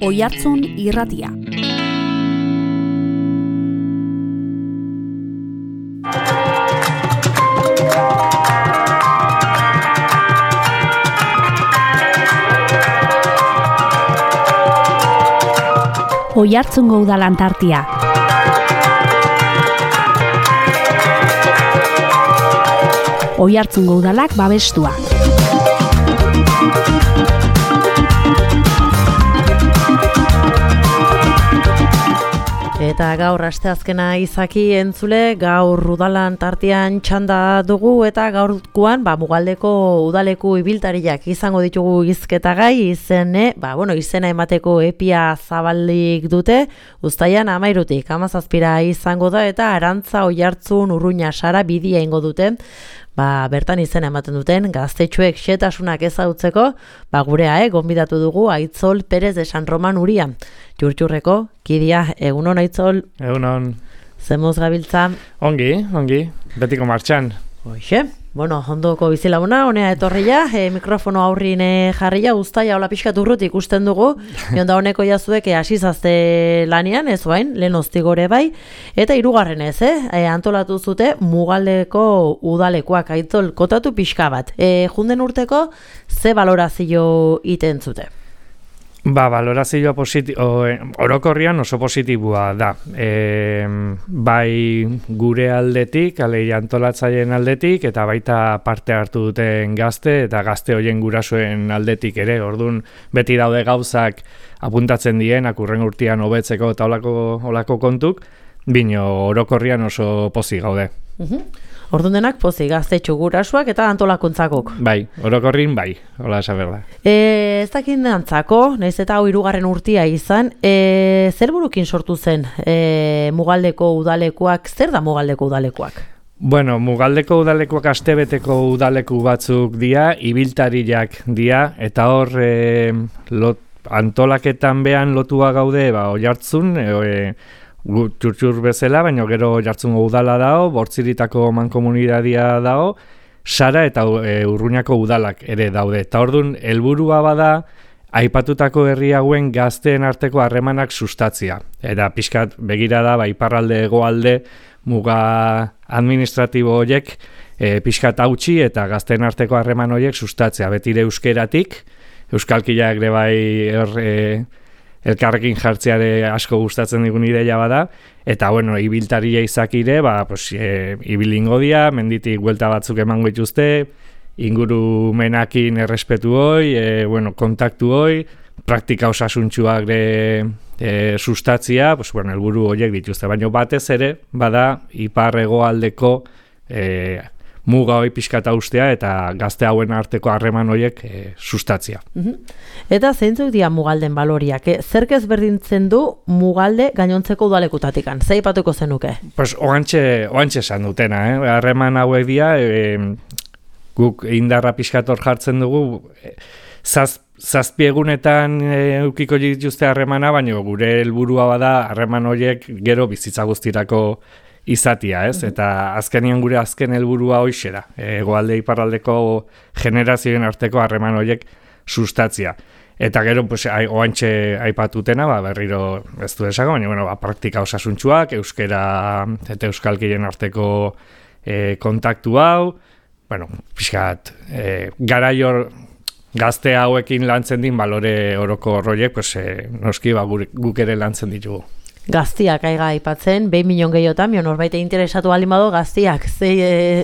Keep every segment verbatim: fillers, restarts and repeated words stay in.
Oihartzun irratia. Oihartzungo udalan tartia. Oihartzungo udalak babestua. Eta gaur asteazkena izaki entzule, gaur udalan tartean txanda dugu eta gaurkoan ba, Mugaldeko udaleku ibiltariak izango ditugu hizketagai izene, ba, bueno, izena emateko epia zabalik dute, uztaian hamairutik hamazazpira izango da eta Arantza Oihartzun Urruña Sara bidia ingo dute. Ba, bertan izena ematen duten gaztetxoek xetasunak ezautzeko, ba, gurea, eh, gonbidatu dugu Aitzol Perez de San Roman Uria. Jurtxurreko, kidia, egunon Aitzol? Egunon. Zemuz gabiltza? Ongi, ongi, betiko martxan. Hoxe, bueno, ondoko bizilaguna, honea etorria, e, mikrofono aurrin jarria, uztaia hola pixkat urrut ikusten dugu, jonda honeko jazuek hasizazte lanian, ez bain, lehen ostigore bai, eta hirugarren ez, eh? E, antolatu zute Mugaldeko udalekoak, Aitzol, kotatu pixka bat. E, junden urteko, ze balorazio iten zute? Ba, balorazioa positibo, orokorrian oso positiboa da. E, bai gure aldetik, alei antolatzaileen aldetik, eta baita parte hartu duten gazte, eta gazte hoien gurasoen aldetik ere. Orduan, beti daude gauzak apuntatzen dien, akurren urtean hobetzeko eta olako, olako kontuk, bino orokorrian oso pozik gaude. Uh-huh. Orduan denak pozik, gaztetxo gurasoak eta antolakuntzakok. Bai, orokorrin bai, hola esaber da. E, ez dakin dantzako, nahiz eta hau hirugarren urtia izan, e, zer burukin sortu zen e, Mugaldeko udalekoak, zer da Mugaldeko udalekoak? Bueno, Mugaldeko udalekoak astebeteko udaleku batzuk dira, ibiltariak dira, eta hor e, lot, antolaketan behan lotua gaude, ba, Oihartzun, e, txurtxur bezala, baina gero Oihartzungo udala dao, Bortziritako mankomunidadia dao, Sara eta e, Urruñako udalak ere daude. Eta orduan, helburua bada, aipatutako herri hauen gazteen arteko harremanak sustatzia. Eta pixkat begira da, ba, iparralde hegoalde muga administratibo horiek e, pixkat hautsi eta gazteen arteko harreman horiek sustatzea. Betire euskeratik, euskalkiak ere bai er, e, elkarrekin jartzeare asko gustatzen digun ideia bada, eta bueno, ibiltaria izakire, ba, pues, e, ibilingo dia, menditik buelta batzuk emango dituzte, ingurumenakin errespetu hoi, e, bueno, kontaktu hoi, praktika osasuntxuak de, e, sustatzia, pues, bueno, helburu horiek dituzte, baina batez ere, bada, ipar hegoaldeko e, muga hoi pixkata ustea eta gazte hauen arteko harreman horiek e, sustatzia. Uh-huh. Eta zeintzuk dira Mugalden baloriak? Eh? Zerk ezberdintzen du Mugalde gainontzeko udalekutatikan? Zer aipatuko zenuke? Pues oantxe, oantxe esan dutena, eh? Harreman hauek dira, e, guk indarra pixkator jartzen dugu, e, zaz, zazpiegunetan e, eukiko dituzte harremana, baina gure helburua bada harreman horiek gero bizitza guztirako izatia, ez? Eta azkenian gure azken helburua hoixe da. Hegoalde iparraldeko generazioen arteko harreman horiek sustatzia. Eta gero, pues, oantxe aipatutena, ba, berriro ez du esako, baina, bueno, ba, praktika osasuntxuak, euskera eta euskalkiren arteko e, kontaktu hau, bueno, pixkat, e, garaior gazte hauekin lantzen din balore oroko horiek, pues, e, noski ba, guk ere lantzen ditugu. Gaztiak aiga aipatzen, behin milion gehiotan, mion horbaite interesatu baldin bado gaztiak, ze,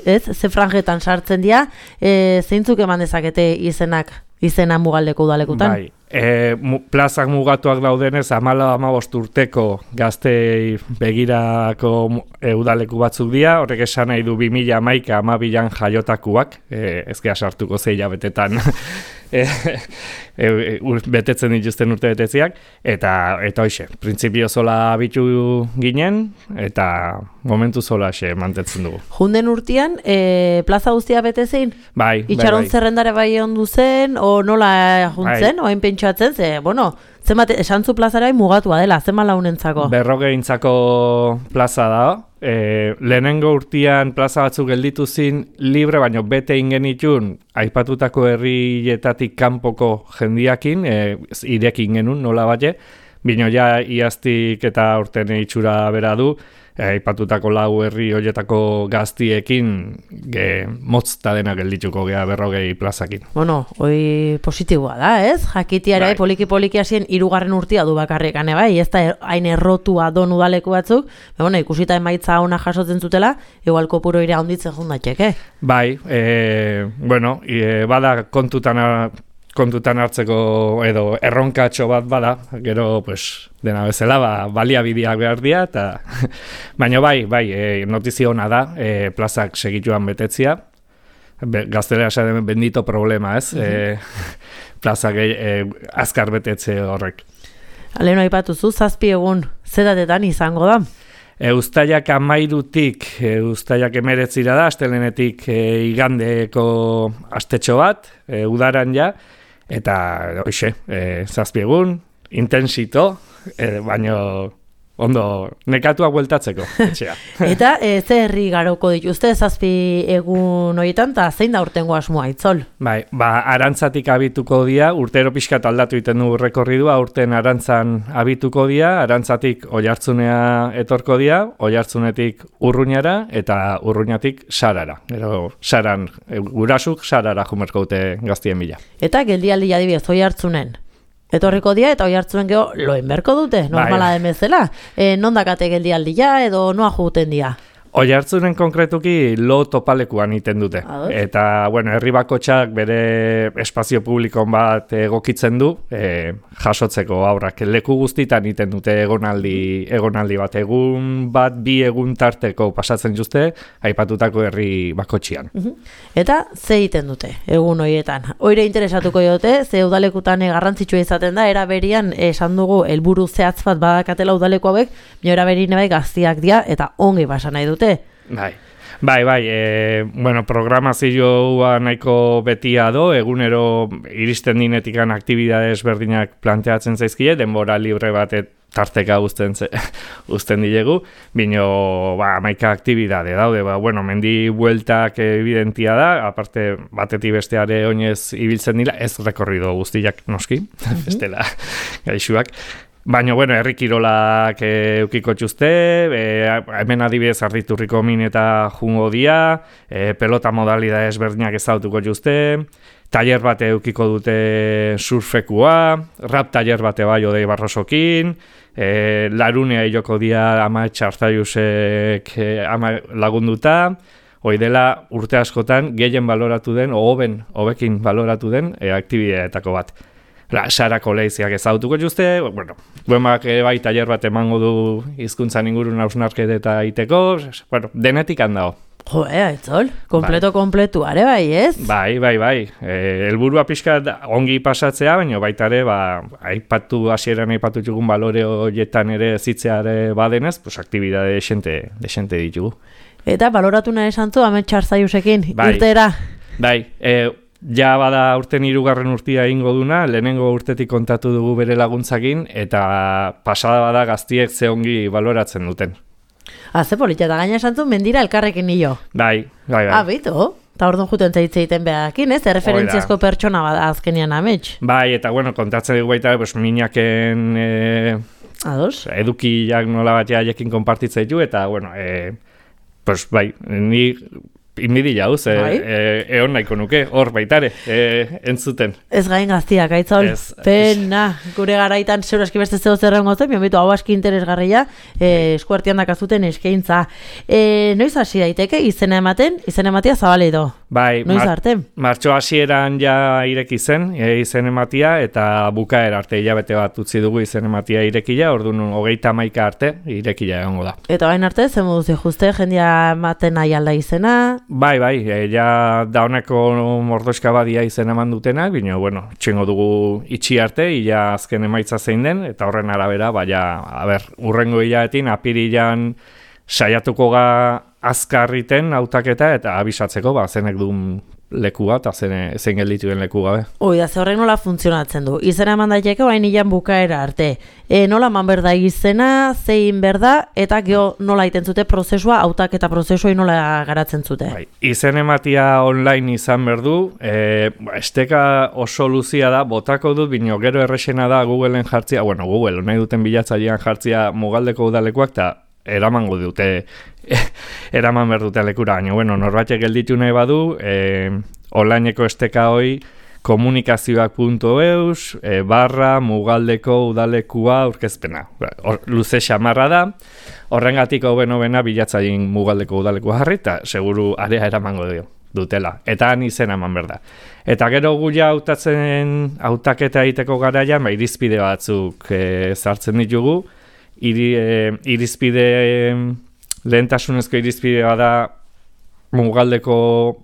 ez, ze franjetan sartzen dira, e, zeintzuk eman dezakete izenak, izena Mugaldeko udalekutan? Bai, e, mu, plazak mugatuak daudenez, amala amabost urteko gaztei begirako e, udaleku batzuk dira, horrek esan nahi du bi mila hamaika amabilan jaiotakuak, e, ezkea sartuko zeila betetan, E, e, e, betetzen dituzten urte betetziak, eta eta hoxe, printzipio zola bitu ginen, eta momentu zola xe mantetzen dugu. Junden urtean, e, plaza guztia bete zein? Bai, Itxaron bai, bai. zerrendare bai ondu zen, o nola juntzen, bai. Oain pentsatzen, ze, bueno, zenbat, esantzu plazara mugatua dela, zenbat launentzako? Berrogeintzako plaza da, e, lehenengo urtean plaza batzuk gelditu zin libre, baino bete ingenitun aipatutako herrietatik kanpoko jendiakin, e, irekin genuen nola bate, bino ja iaztik eta urten itxura bera du, aipatutako lau herri horietako gaztiekin ge, motzta dena geldituko gea berrogei plazakin. Bueno, hoi positiboa da, ez? Jakitiara bai. Poliki-poliki hasien hirugarren urtia du bakarrik, ane bai, ez da hain errotua don udaleku batzuk, bueno, ikusita emaitza ona jasotzen zutela, igual kopuro ira honditzen jundatxeke. Bai, e, bueno, e, bada kontutan kontutan hartzeko edo erronkatxo bat bada, gero pues, dena bezala ba, baliabideak behar dira, eta baina bai, bai, e, notizio ona da, e, plazak segituan betetzia, Be, gaztelera esaten bendito problema, ez? Uh-huh. e, plazak e, azkar betetze horrek. Leheno aipatuzu, zazpi egun zetatetan izango da? E, Uztailak amairutik, e, Uztailak emeretzira da, astelenetik e, igandeko astetxo bat, e, udaran ja, eta hoxe, e, zazpi egun, intensito, e, baino ondo nekatua bueltatzeko. Etxea. Eta e, ze herri garoko dituzte zazpi egun horietan, eta zein da urtengo asmoa, Itzol? Bai, ba, Arantzatik abituko dira, urtero pixkat aldatu iten du rekorridua, urten Arantzan abituko dira, Arantzatik Oiartzunea etorko dira, Oiartzunetik Urruñara, eta Urruñatik Sarara. Gero, Saran, e, gurasuk Sarara jumerko dute gaztien bila. Eta geldialdi adibidez Oiartzunen? Etorriko dia eta Oiartzunen geho loen berko dute, normala den bezala. E, non dakate geldialdia edo noa juguten dia? Oiartzunen konkretuki lo topalekuan iten dute. Ados. Eta, bueno, herri bakotxak bere espazio publikon bat egokitzen du, e, jasotzeko aurrak leku guztitan iten dute egonaldi, egonaldi bat. Egun bat, bi egun tarteko pasatzen juzte, aipatutako herri bakotxian. Eta ze egiten dute, egun horietan? Hoire interesatuko jote, ze udalekutan garrantzitsua izaten da, era berian esan dugu helburu zehatz bat badakatela udaleku hauek, nio era berine bai gaztiak dira eta ongi basa nahi dute. Bai, bai, bai, e, bueno, programazioa nahiko betia do, egunero iristen dinetikan aktibidade ezberdinak planteatzen zaizkile, denbora libre bat tarteka uzten, uzten dilegu, bino, ba, maika aktibidade daude, ba, bueno, mendi bueltak evidentia da, aparte batetik besteare oinez ibiltzen dira, ez rekorrido guztiak noski, mm-hmm. bestela gaixuak. Baina, bueno, herri kirolak e, eukiko txuzte, e, hemen adibidez Arditurriko min eta jungo dia, e, pelota modalidade ezberdinak ezautuko txuzte, taller bate eukiko dute surfekua, rap taller bate bai odei barrosokin, e, larunea joko dia ama txartzaiusek e, ama lagunduta, hoi dela urte askotan gehien baloratu den, o hoben, hobekin baloratu den, e, aktibideetako bat. La, Sarako leiziak ezautuko juzte, bueno, buemak bai taller bat emango du hizkuntzan ingurun hausnarketa eta iteko, bueno, denetik handao. Jo, ea, Itzol, kompleto, bai. Kompletu, are bai, ez? Bai, bai, bai, e, helburua pixka ongi pasatzea, baina baita ere, ba, aipatu hasieran aipatu txugun balore horietan ere zitzeare badenez, pues, aktibidade desente, desente ditugu. Eta baloratu nahi esan zu, Amet Txartzaiusekin, bai, irtera? Bai, e, ja bada urten hirugarren urtia egingo duna, lehenengo urtetik kontatu dugu bere laguntzakin, eta pasada bada gaztiek ze ongi baloratzen duten. Ah, ze polita, eta gaina esan zuen mendira elkarrekin nio. Bai, bai, bai. Ah, bitu, eta orduan juten zaitze egiten behakin, ez? Erreferentziazko pertsona bada azkenian amets. Bai, eta bueno, kontatzen dugu baita, pues, minaken e, Ados? edukiak nola bat jaiekin konpartitzea ditu, eta bueno, e, pues, bai, ni inbidi jauz, e, e, eon nahiko nuke, hor baitare, e, entzuten. Ez gain gaztiak, Aitzol, ez, pena, gure garaitan zero eski beste zeo zerren gozen, bion bitu hau aski interesgarria, e, eskuartian dakazuten eskaintza. E, noiz hasi daiteke, izena ematen, izena ematia zabalido. Bai, noiz mar arte? Martxo hasieran ja ireki zen, e, izen ematia, eta bukaera arte hilabete bat utzi dugu izen ematia irekila, orduan hogeita hamaika arte irekila egongo da. Eta bain arte, zen moduz juste, jendia ematen nahi alda izena? Bai, bai, e, ja dauneko mordoska badia izen eman dutenak, bino, bueno, txengo dugu itxi arte, ia azken emaitza zein den, eta horren arabera, baina, a ber, urrengo hilaetin, apirilan saiatuko ga azkarriten hautaketa eta abisatzeko, ba, zenek duen lekua eta zen, zen geldituen leku gabe. Hoi da, ze horrek nola funtzionatzen du. Izena eman daiteke orain ilan bukaera arte. E, nola eman berda izena, zein berda, eta geho nola iten zute prozesua, hautak eta prozesua nola garatzen zute. Bai, izen ematia online izan berdu, e, esteka oso luzia da, botako dut, bino gero errexena da Googleen jartzia, bueno, Google, nahi duten bilatzailean jartzia Mugaldeko udalekuak, eta eramango dute, eraman behar dute lekura, baina, bueno, norbaitek gelditu nahi badu, e, onlineko esteka hoi, komunikazioak puntu eus, e, barra, Mugaldeko udalekua aurkezpena. Or, luze xamarra da, horrengatik hoben hobena bilatzailean Mugaldeko udalekua jarri, eta seguru area eramango dio dutela. Eta han izena eman behar da. Eta gero guia hautatzen, hautaketa egiteko garaian, ba, irizpide batzuk e, zartzen ditugu, Iri, e, irizpide, e, lehentasunezko irizpide bada Mugaldeko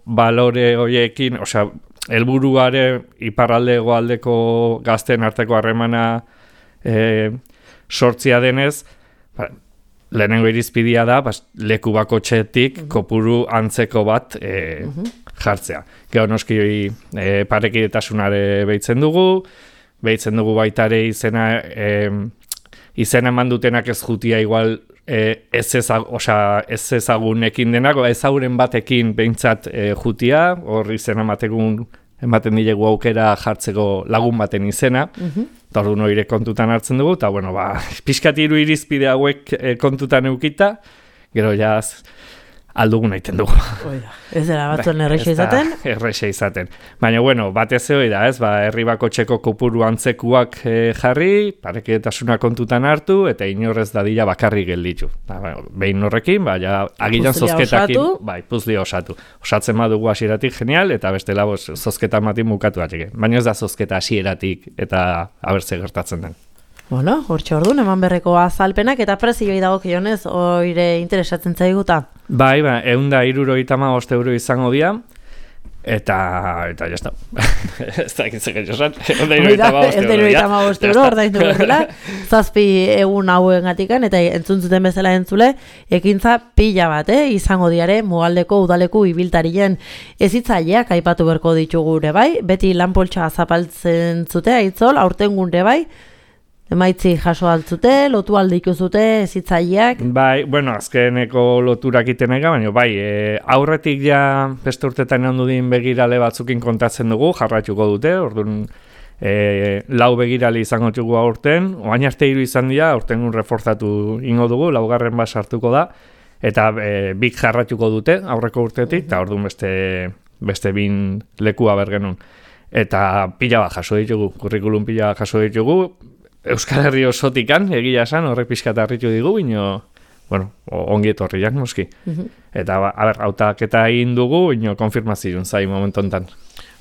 balore horiekin, osea, helburuare iparralde hegoaldeko gazten arteko harremana e, sortzia denez, ba, lehenengo irizpidea da, bas, leku bakotxetik uh-huh. kopuru antzeko bat e, uh-huh. jartzea. Gero noski e, parekidetasunare behitzen dugu, behitzen dugu baitare izena... E, Izen eman dutenak ez jutia igual e, ez, ezag, osa, ez ezagunekin denako, ezaguren batekin behintzat e, jutia, hor izen ematekun, ematen dilegu aukera jartzeko lagun baten izena, uh-huh. eta hor du noire kontutan hartzen dugu, eta bueno, ba, pixkat hiru irizpide hauek e, kontutan eukita, gero jaz aldugun egiten dugu. Oida, ez dela batzuen erreixa izaten? Erreixa izaten. Baina, bueno, batez hori da, ez, ba, herri bakotxeko kopuru antzekuak e, jarri, parekidetasuna kontutan hartu, eta inorrez dadila bakarri gelditu. Ba, behin horrekin, ba, ja, agilan zozketakin, bai, puzlia osatu. Osatzen badugu hasieratik genial, eta bestela bos, zozketa matin bukatu atxeke. Baina ez da zozketa hasieratik, eta abertze gertatzen den. Bueno, hortxe orduan, eman berreko azalpenak, eta prezioi dago kionez, oire interesatzen zaiguta. Bai, ba, egun da irurogeita hamabost euro izango dira, eta, eta jazta, ez da egitzek egin egun da irurogeita hamabost euro, ordaindu bezala, zazpi egun hauen gatikan, eta entzuntzuten bezala entzule, ekintza pila bat, eh? Izango diare, Mugaldeko udaleku ibiltarien ezitzaileak aipatu berko ditugu ere bai, beti lanpoltsa zapaltzen zute, aitzol, aurten gure bai, emaitzi jaso altzute, lotu aldiku zute, ezitzaileak? Bai, bueno, azkeneko loturak itenega, baina bai, e, aurretik ja beste urtetan egon dudin begirale batzukin kontatzen dugu, jarratuko dute, orduan e, lau begirale izango dugu aurten, oain arte hiru izan dira, aurten un reforzatu ingo dugu, laugarren bat sartuko da, eta e, bik jarratuko dute aurreko urtetik, eta orduan beste, beste bin lekua bergenun. Eta pila bat jaso ditugu, kurrikulum pila bat jaso ditugu, Euskal Herri osotikan, egia esan, horrek pixkat harritu digu, bino, bueno, ongi etorriak noski. Uh-huh. Eta, a ber, hautaketa egin dugu, bino, konfirmazioen zai momentu enten.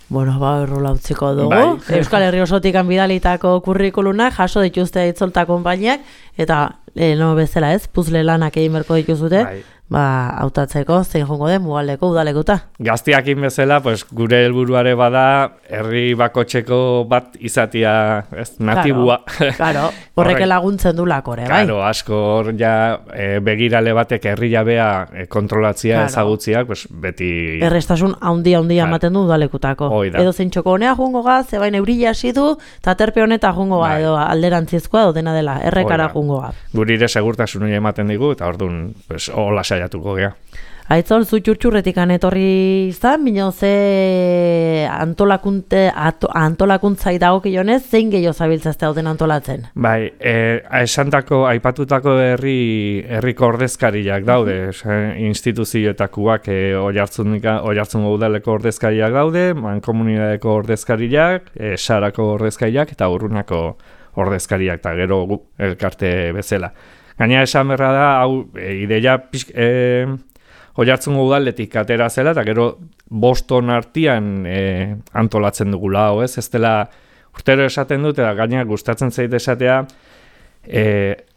Bueno, ba, errola utziko dugu. Bai. Euskal Herri osotikan bidalitako kurrikulunak, jaso dituzte itzolta konpainiak, eta, eh, no bezala ez, puzle lanak egin berko dituzute, bai. Ba, hautatzeko, zein jongo den, Mugaldeko udalekuta. Gaztiakin bezala, pues, gure helburuare bada, herri bakotxeko bat izatia, ez, natibua. Claro, claro. Horreke laguntzen du lakore, bai? Claro, asko, hor ja, e, begirale batek herri jabea e, kontrolatzia, claro. Ezagutziak, pues, beti... Errestasun handia handia ematen du udalekutako. Edo zein txoko honea jungo ga, zebain eurila hasi du, eta terpe honeta jungo ga, edo alderantzizkoa, edo dena dela, errekara jungo ga. Gurire segurtasun hori ematen digu, eta orduan, pues, hola saiatuko gea. Aitzol, zu txurtxurretikan etorri izan, bino ze antolakunte, ato, antolakuntzai dagokionez, zein gehiago zabiltzazte hauten antolatzen? Bai, e, esantako, aipatutako herri herriko ordezkariak daude, uh-huh. instituzioetakoak e, oihartzungo udaleko ordezkariak daude, mankomunidadeko ordezkariak, e, sarako ordezkariak eta urrunako ordezkariak, eta gero elkarte bezala. Gaina esan berra da, hau, e, ideia pixk... E, Oihartzungo udaletik atera zela, eta gero Boston artian e, antolatzen dugula, hau ez? Ez dela urtero esaten dut, eta gaina gustatzen zait esatea, e,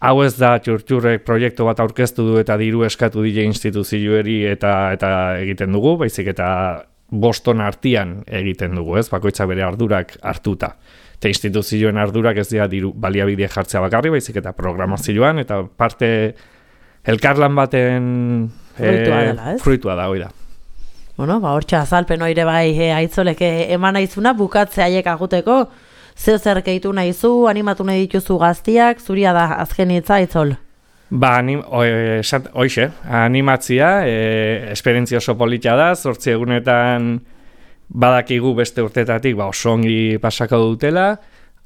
hau ez da txurtxurrek proiektu bat aurkeztu du eta diru eskatu dile instituzioeri eta, eta egiten dugu, baizik eta Boston artian egiten dugu, ez? Bakoitzak bere ardurak hartuta. Eta instituzioen ardurak ez dira diru baliabide jartzea bakarri, baizik eta programazioan, eta parte elkarlan baten... Fruitua dela, ez? Fruitua da, hoi da. bueno, ba, hortxe azalpen oire bai e, aitzolek eman naizuna, bukatze haiek aguteko, zeo zer gehitu nahizu, animatu nahi dituzu gaztiak, zuria da azken hitza aitzol. Ba, anim, o, e, esat, oixe, animatzia, e, esperientzia oso polita da, zortzi egunetan badakigu beste urtetatik ba, oso ongi pasako dutela,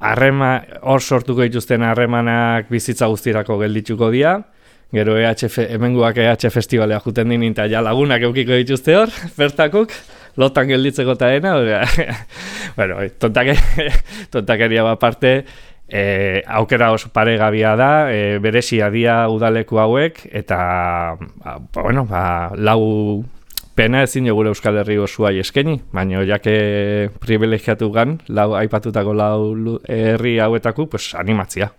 harrema, hor sortuko dituzten harremanak bizitza guztirako geldituko dira, gero E H F, hemenguak E H Festivalea juten dinin, eta ja lagunak eukiko dituzte hor, bertakuk, lotan gelditzeko eta dena, bueno, tontak, tontakeria bat parte, e, aukera oso paregabia da, e, beresia dira udaleku hauek, eta, ba, bueno, ba, lau pena ezin jo gure Euskal Herri osoa eskeni, baina jake privilegiatu gan, lau, aipatutako lau herri hauetako, pues, animatzia.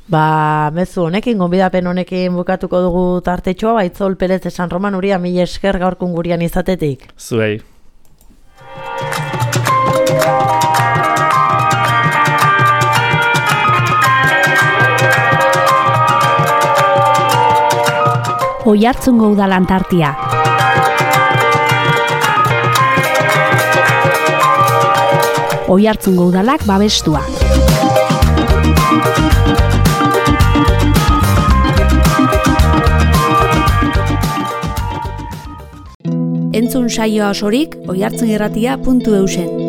Ba, mezu honekin, gonbidapen honekin bukatuko dugu tartetxoa, Baitzol Perez San Roman Uria, mila esker gaurkun gurian izatetik. Zuei. Oiartzungo udalan tartia. Oiartzungo udalak babestua. Entzun saioa osorik oiartzunirratia puntu eusen.